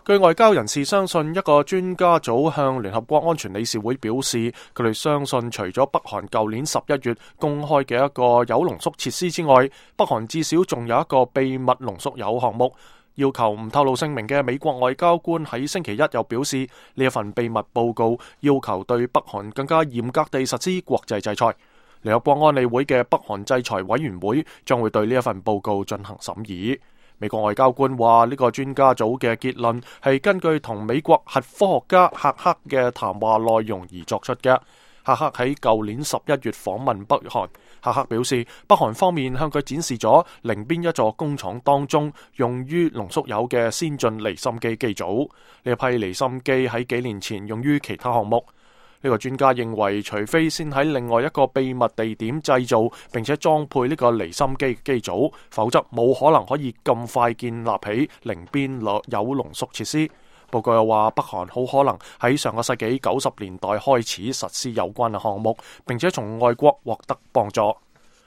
據外交人士相信，一個專家組向聯合國安全理事會表示，佢哋相信除咗北韓舊年11月公開嘅一個鈾濃縮設施之外，北韓至少仲有一個秘密濃縮鈾項目。要求唔透露姓名嘅美國外交官喺星期一又表示，呢一份秘密報告要求對北韓更加嚴格地實施國際制裁。聯合國安理會嘅北韓制裁委員會將會對呢一份報告進行審議。美國外交官話，呢個專家組嘅結論係根據同美國核科學家赫克嘅談話內容而作出嘅。赫克喺舊年11月訪問北韓，赫克表示，北韓方面向佢展示咗寧邊一座工廠當中用於濃縮鈾嘅先進離心機機組。呢一批離心機喺幾年前用於其他項目。呢個專家認為，除非先喺另外一個秘密地點製造並且裝配呢個離心機機組，否則冇可能可以咁快建立起寧邊鈾濃縮設施。報告又話，北韓好可能喺上個世紀90年代開始實施有關嘅項目，並且從外國獲得幫助。